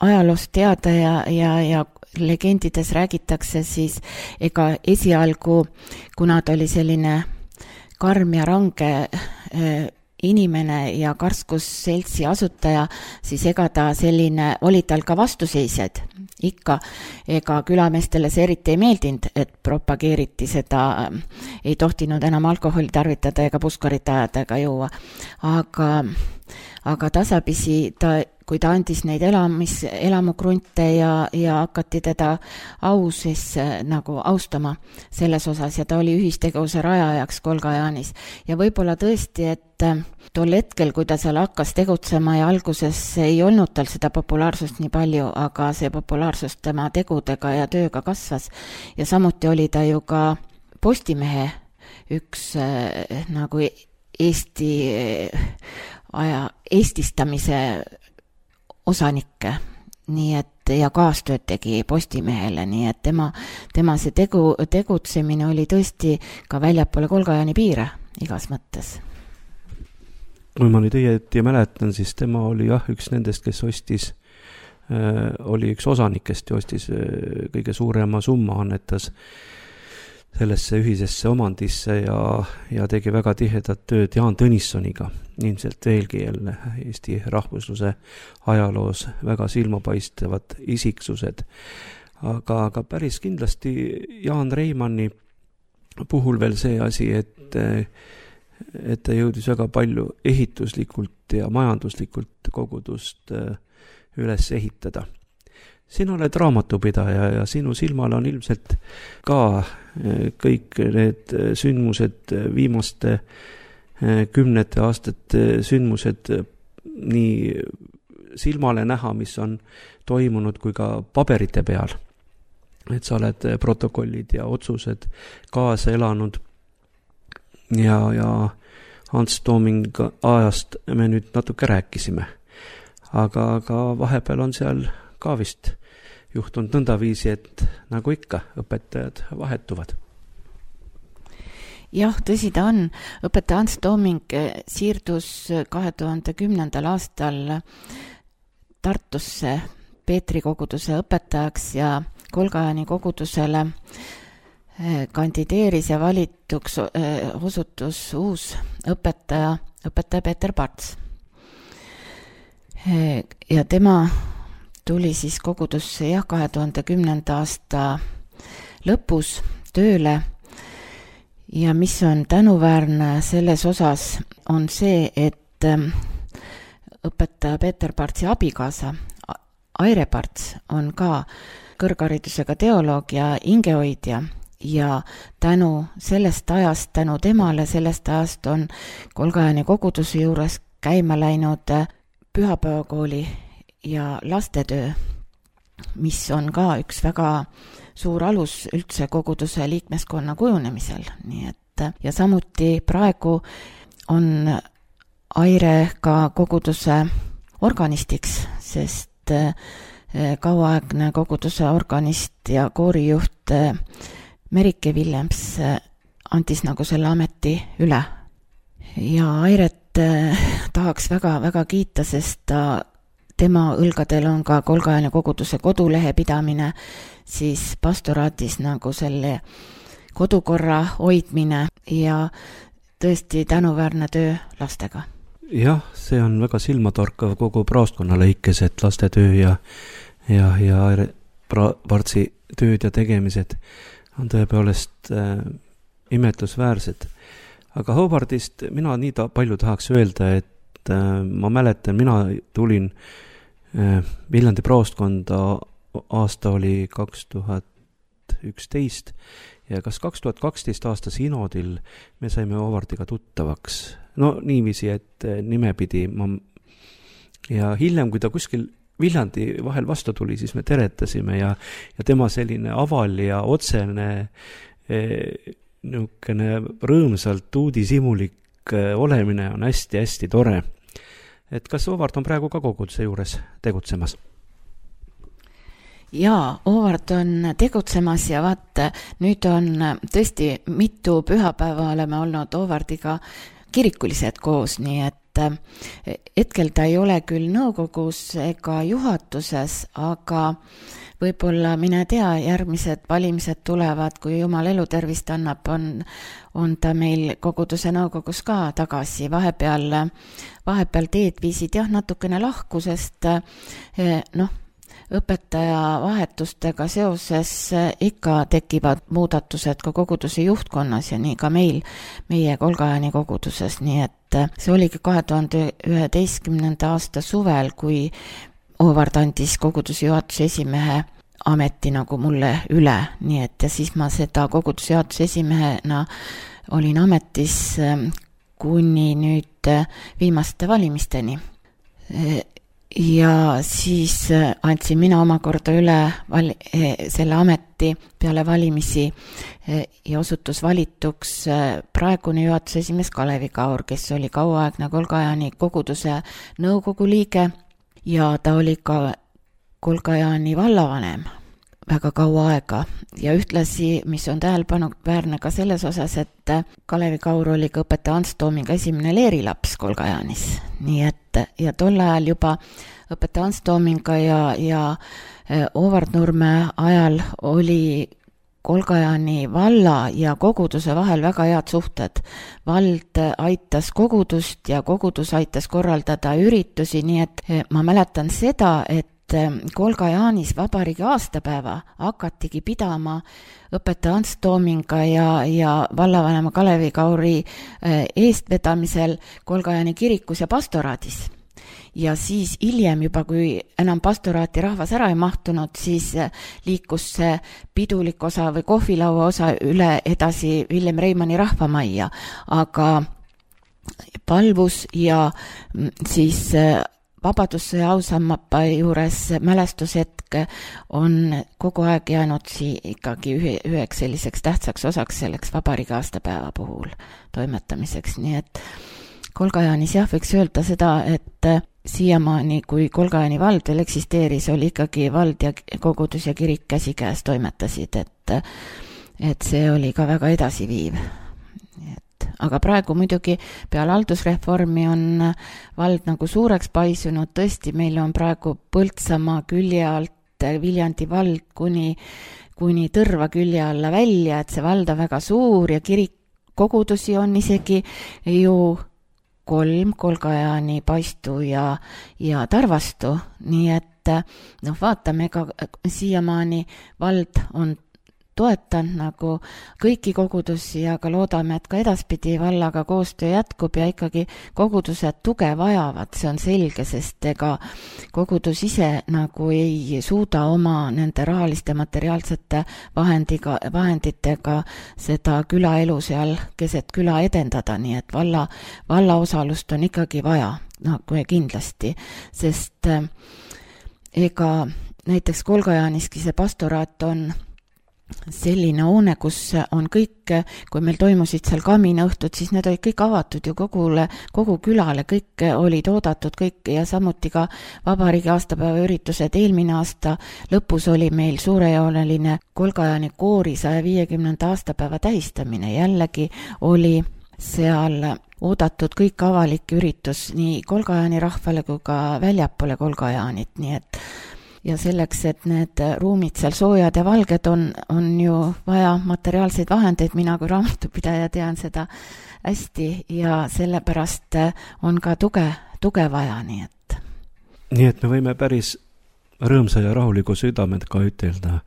ajaloost teada ja, ja, ja legendides räägitakse, siis ega esialgu, kuna ta oli selline karm ja range inimene ja karskusseltsi asutaja, siis ega ta selline, oli tal ka vastuseisjad ikka, ega külameestele see eriti ei meeldinud, et propageeriti seda, ei tohtinud enam alkoholi tarvitada ega puskarit ajada ega juua, aga, aga tasapisi ta, kui ta andis neid elamis, elamukrunte ja, ja hakati teda au siis nagu austama selles osas ja ta oli ühistegevuse rajajaks Kolga-Jaanis. Ja võib-olla tõesti, et tol hetkel, kui ta seal hakkas tegutsema ja alguses ei olnud tal seda populaarsust nii palju, aga see populaarsus tema tegudega ja tööga kasvas ja samuti oli ta ju ka Postimehe üks äh, nagu Eesti aja eestistamise osanikke, nii et ja kaastööd tegi Postimehele, nii et tema, tema see tegu, tegutsemine oli tõesti ka väljapoole Kolga-Jaani piire igas mõttes. Kui ma nüüd õieti mäletan, siis tema oli jah üks nendest, kes ostis, äh, oli üks osanikest ja ostis äh, kõige suurema summa, annetas sellesse ühisesse omandisse ja, ja tegi väga tihedat tööd Jaan Tõnissoniga, ilmselt veelgi jälle Eesti rahvusluse ajaloos väga silmapaistavad isiksused. Aga, aga päris kindlasti Jaan Reimanni puhul veel see asi, et, et ta jõudis väga palju ehituslikult ja majanduslikult kogudust üles ehitada. Sina oled raamatupidaja ja sinu silmal on ilmselt ka kõik need sündmused, viimaste kümnete aastate sündmused nii silmale näha, mis on toimunud kui ka paberite peal. Et sa oled protokollid ja otsused kaasa elanud ja, ja Ants Tooming ajast me nüüd natuke rääkisime. Aga, aga vahepeal on seal ka vist juhtunud nõndaviisi, et nagu ikka, õpetajad vahetuvad. Jah, tõsi ta on. Õpetaja Ants Tooming siirdus kahe tuhande kümnendal aastal Tartusse Peetri koguduse õpetajaks ja Kolga-Jaani kogudusele kandideeris ja valituks osutus uus õpetaja, õpetaja Peeter Parts. Ja tema tuli siis kogudusse jah, kahe tuhande kümnenda aasta lõpus tööle ja mis on tänuväärne selles osas on see, et õpetaja Peeter Partsi abikaasa Aire Parts on ka kõrgharidusega teoloog ja hingehoidja ja tänu sellest ajast, tänu temale sellest ajast on Kolga-Jaani koguduse juures käima läinud pühapäevakooli ja lastetöö, mis on ka üks väga suur alus üldse koguduse liikmeskonna kujunemisel. Nii et, ja samuti praegu on Aire ka koguduse organistiks, sest kauaaegne koguduse organist ja koorijuht Merike Willems andis nagu selle ameti üle. Ja Airet tahaks väga, väga kiita, sest ta tema õlgadel on ka Kolga-Jaani koguduse kodulehe pidamine, siis pastoraadis nagu selle kodukorra hoidmine ja tõesti tänuväärne töö lastega. Jah, see on väga silmatorkav kogu praostkonna lõikes, et lastetöö ja, ja, ja Partsi tööd ja tegemised on tõepoolest äh, imetlusväärsed. Aga Hobardist mina nii ta, palju tahaks öelda, et ma mäletan, mina tulin Viljandi praostkonda, aasta oli kaks tuhat üksteist ja kas kaks tuhat kaksteist aasta sinodil me saime Hobardiga tuttavaks. No niiviisi, et nimepidi ma ja hiljem, kui ta kuskil Viljandi vahel vastu tuli, siis me teretasime ja, ja tema selline aval ja otsene niisugune rõõmsalt uudishimulik olemine on hästi-hästi tore. Et kas Ovard on praegu ka koguduse juures tegutsemas? Jaa, Ovard on tegutsemas ja vaat, nüüd on tõesti mitu pühapäeva oleme olnud Ovardiga kirikulised koos, nii et hetkel ta ei ole küll nõukogus ega juhatuses, aga võib-olla, mine tea, järgmised valimised tulevad, kui Jumal elutervist annab, on, on ta meil koguduse nõukogus ka tagasi. Vahepeal, vahepeal teed viisid jah natukene lahku, sest noh, õpetaja vahetustega seoses ikka tekivad muudatused ka koguduse juhtkonnas ja nii ka meil, meie Kolgajani koguduses, nii et see oligi kahe tuhande üheteistkümnenda aasta suvel, kui Oovard andis koguduse juhatuse esimehe ameti nagu mulle üle, nii et ja siis ma seda koguduse juhatuse esimehena olin ametis kuni nüüd viimaste valimisteni. Ja siis andsin mina omakorda üle val- selle ameti peale valimisi ja osutus valituks praegune juhatuse esimees Kalevi Kaur, kes oli kauaaegne Kolgajani koguduse nõukogu liige ja ta oli ka Kolgajani vallavanem väga kaua aega ja ühtlasi, mis on tähelepanuväärne ka selles osas, et Kalevi Kaur oli ka õpetaja Ants Toominga esimene leerilaps Kolgajanis, nii et ja tol ajal juba õpetaja Ants Toominga ja, ja Oovard Nurme ajal oli Kolgajani valla ja koguduse vahel väga head suhted. Vald aitas kogudust ja kogudus aitas korraldada üritusi, nii et ma mäletan seda, et Kolgajanis vabariigi aastapäeva hakatigi pidama õpetaja Ants Toominga ja, ja vallavanema Kalevi Kauri eestvedamisel Kolgajani kirikus ja pastoraadis. Ja siis hiljem juba, kui enam pastoraati rahvas ära ei mahtunud, siis liikus see pidulik osa või kohvilaua osa üle edasi Villem Reimanni rahvamajja, aga palvus ja siis Vabadussõja ausammapa juures mälestushetk on kogu aeg jäänud sii ikkagi ühe, üheks selliseks tähtsaks osaks selleks vabariigi aastapäeva puhul toimetamiseks, nii et Kolgajanis jah, võiks öelda seda, et siiamaani, kui Kolgajani vald veel eksisteeris, oli ikkagi vald ja kogudus ja kirik käsikäes toimetasid, et, et see oli ka väga edasiviiv. Aga praegu muidugi peale haldusreformi on vald nagu suureks paisunud, tõesti meil on praegu Põltsamaa külje alt Viljandi vald kuni, kuni Tõrva külje alla välja, et see vald on väga suur ja kirik kogudusi on isegi ju kolm, Kolgajani, Paistu ja, ja Tarvastu, nii et noh, vaatame, ega siiamaani vald on toetan nagu kõiki kogudusi, aga loodame, et ka edaspidi vallaga koostöö jätkub ja ikkagi kogudused tuge vajavad, see on selge, sest ega kogudus ise nagu ei suuda oma nende rahaliste materiaalsete vahendiga, vahenditega seda külaelu seal keset küla edendada, nii et valla, valla osalust on ikkagi vaja, nagu kindlasti, sest ega näiteks Kolgajaniski see pastoraat on selline hoone, kus on kõik, kui meil toimusid seal kaminõhtud, siis need olid kõik avatud ju kogule, kogu külale, kõik olid oodatud, kõik ja samuti ka vabariigi aastapäeva üritused. Eelmine aasta lõpus oli meil suurejooneline Kolgajani koori saja viiekümnenda aastapäeva tähistamine, jällegi oli seal oodatud kõik avalik üritus nii Kolgajani rahvale kui ka väljapoole Kolgajanit, nii et ja selleks, et need ruumid seal soojad ja valged on, on ju vaja materiaalseid vahendeid, mina kui raamatupidaja tean seda hästi ja sellepärast on ka tuge, tuge vaja, nii et. Nii et me võime päris rõõmsa ja rahuliku südamed ka ütelda,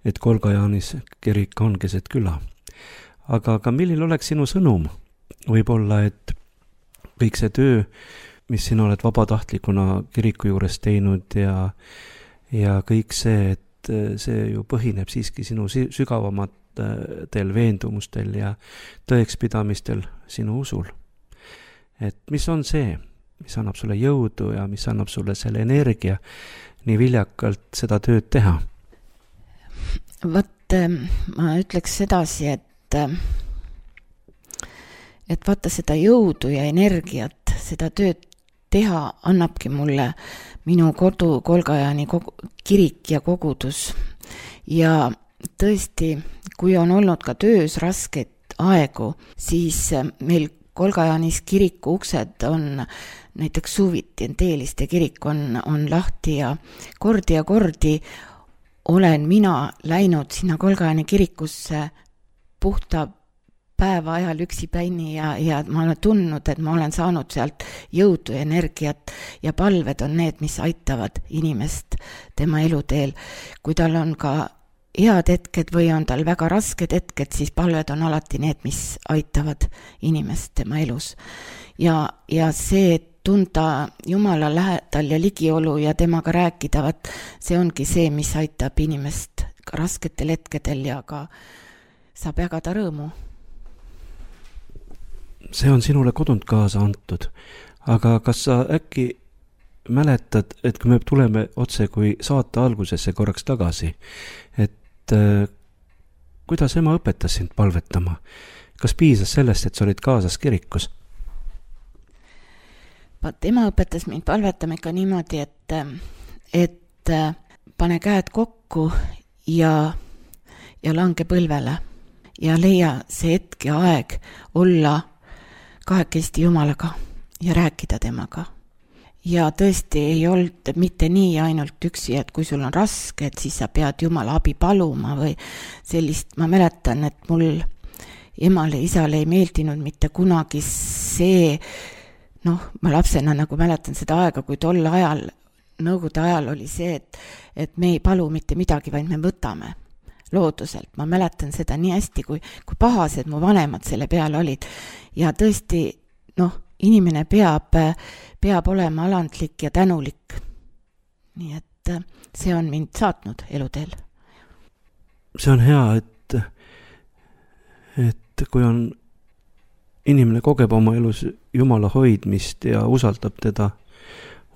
et Kolgajanis kirik on keset küla. Aga ka milline oleks sinu sõnum? Võib-olla, et kõik see töö, mis sina oled vabatahtlikuna kiriku juures teinud ja ja kõik see, et see ju põhineb siiski sinu sügavamatel veendumustel ja tõekspidamistel sinu usul. Et mis on see, mis annab sulle jõudu ja mis annab sulle selle energia nii viljakalt seda tööd teha? Vot ma ütleks sedasi, et et vaata seda jõudu ja energiat, seda tööd teha annabki mulle minu kodu Kolgajani kogu, kirik ja kogudus. Ja tõesti, kui on olnud ka töös rasket aegu, siis meil Kolgajanis kiriku uksed on näiteks suviti, Teeliste kirik on, on lahti ja kordi ja kordi olen mina läinud sinna Kolgajani kirikusse puhta päeva ajal üksipäini ja, ja ma olen tundnud, et ma olen saanud sealt jõudu ja energiat ja palved on need, mis aitavad inimest tema eluteel. Kui tal on ka head hetked või on tal väga rasked hetked, siis palved on alati need, mis aitavad inimest tema elus. Ja, ja see, et tunda Jumala lähedal ja ligiolu ja temaga rääkida, vat, see ongi see, mis aitab inimest ka rasketel hetkedel ja ka saab jagada rõõmu. See on sinule kodunt kaasa antud, aga kas sa äkki mäletad, et kui me tuleme otse kui saate algusesse korraks tagasi, et äh, kuidas ema õpetas sind palvetama? Kas piisas sellest, et sa olid kaasas kirikus? Vaat ema õpetas mind palvetama ikka niimoodi, et, et pane käed kokku ja, ja lange põlvele ja leia see hetk ja aeg olla kahekesti Jumalaga ja rääkida temaga. Ja tõesti ei olnud mitte nii ainult üksi, et kui sul on raske, et siis sa pead Jumala abi paluma või sellist. Ma mäletan, et mul emale, isale ei meeldinud mitte kunagi see, noh, ma lapsena nagu mäletan seda aega, kui tol ajal, nõukogude ajal oli see, et, et me ei palu mitte midagi, vaid me võtame looduselt. Ma mäletan seda nii hästi, kui, kui pahased mu vanemad selle peale olid. Ja tõesti, noh, inimene peab, peab olema alandlik ja tänulik. Nii et see on mind saatnud eluteel. See on hea, et, et kui on inimene kogeb oma elus Jumala hoidmist ja usaldab teda,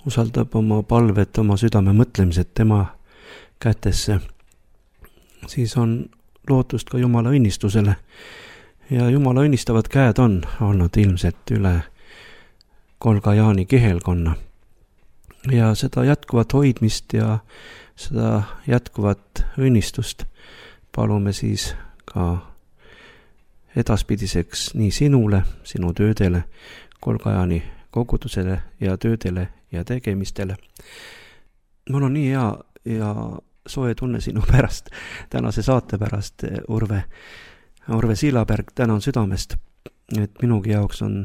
usaldab oma palvet, oma südame mõtlemised tema kätesse, siis on lootust ka Jumala õnnistusele. Ja Jumala õnnistavad käed on olnud ilmselt üle Kolgajani kihelkonna. Ja seda jätkuvat hoidmist ja seda jätkuvat õnnistust palume siis ka edaspidiseks nii sinule, sinu töödele, Kolgajani kogudusele ja töödele ja tegemistele. Mul on nii hea ja soe tunne sinu pärast, tänase saate pärast, Urve, Urve Siilaberg, tänan südamest, et minugi jaoks on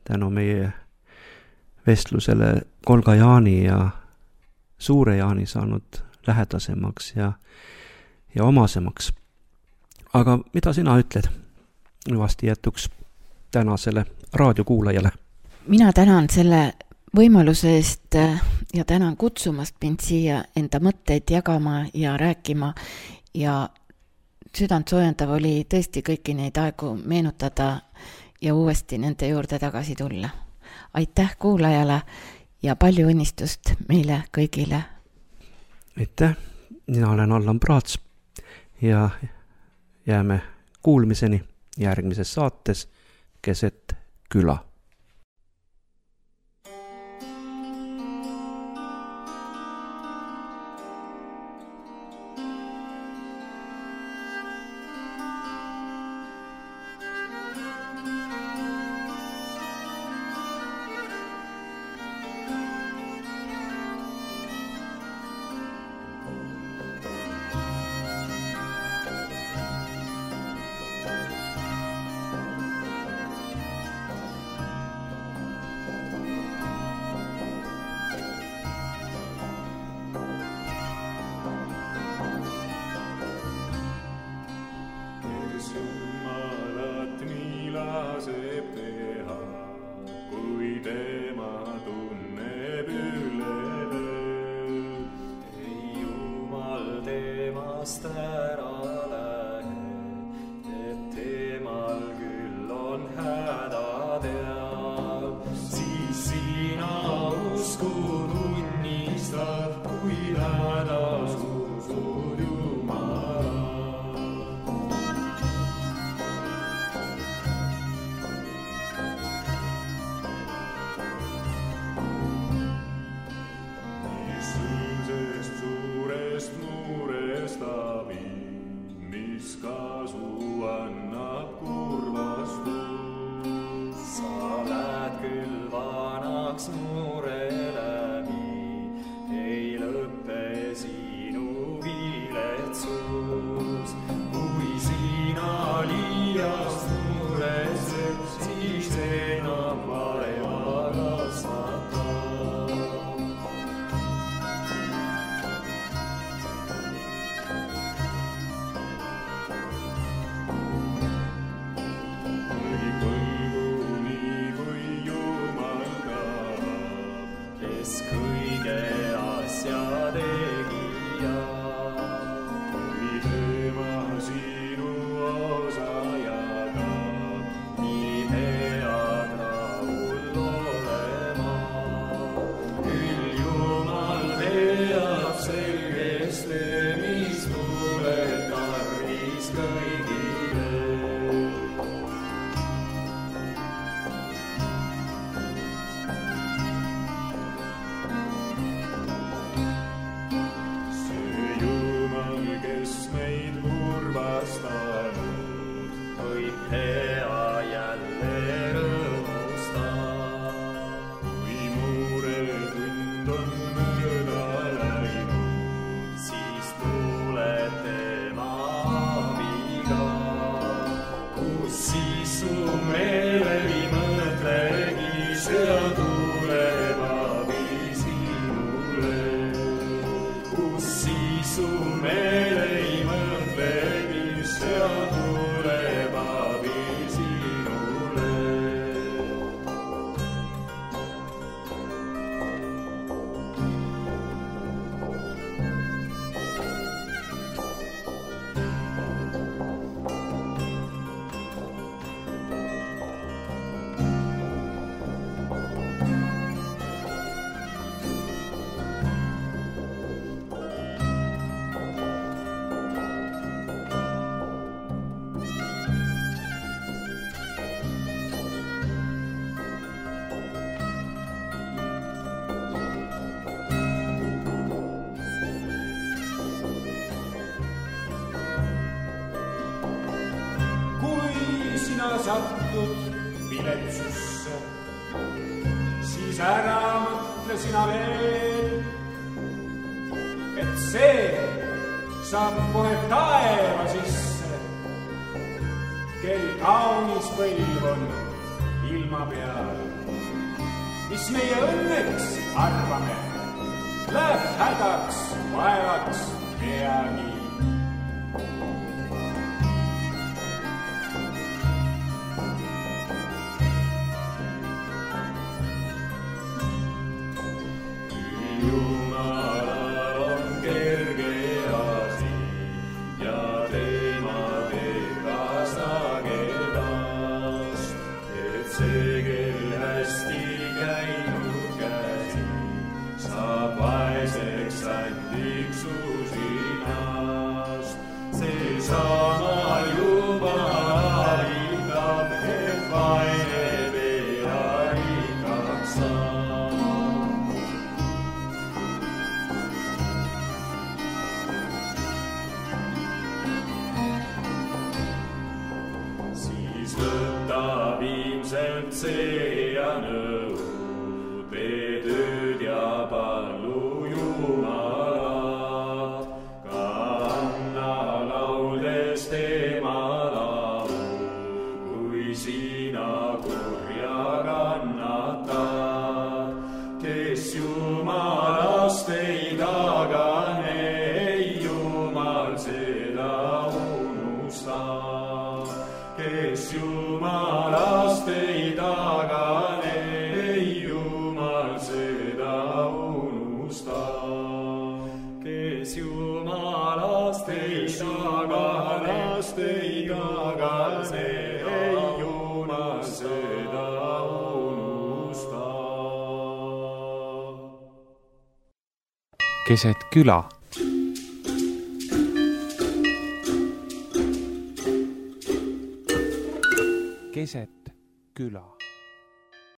tänu meie vestlusele Kolgajani ja Suure Jaani saanud lähedasemaks ja, ja omasemaks. Aga mida sina ütled vasti jätuks tänasele raadiokuulajale? Mina tänan selle võimaluse eest ja tänan kutsumast mind siia enda mõtteid jagama ja rääkima ja südant soojendav oli tõesti kõiki neid aegu meenutada ja uuesti nende juurde tagasi tulla. Aitäh kuulajale ja palju õnnistust meile kõigile. Aitäh, mina olen Allan Praats ja jääme kuulmiseni järgmises saates Keset küla. siis su meele ei mõtlegi, sõja tuleb abi sinule. Kus siis su meele ei mõtlegi, sõja tuleb abi sinule. Sattud viletsusse, siis ära mõtle sina veel, et see saab kohe taeva sisse, kel kaunis põlv on ilma peal. Mis meie õnneks arvame, läheb hädaks, vaevaks peagi. Jumalal on kerge asi ja tema teeb ka sagedast, et see, kel hästi käinud käsi, saab vaeseks sandiks usinast. See sama Jumal aitab, et vaene pea rikkaks saab. Võtab ilmselt see ja nõu, tee tööd ja pallu Jumalat, ka anna lauldes tema laulu, kui sina kurja kannatad. Kes Jumalast ei tagane, ei Jumal seda unusta. Kes Jumalast ei tagane, ei Jumal seda unusta. Kes Jumalast ei taganast, ei tagane, ei Jumal seda unusta. Keset küla. Keset küla.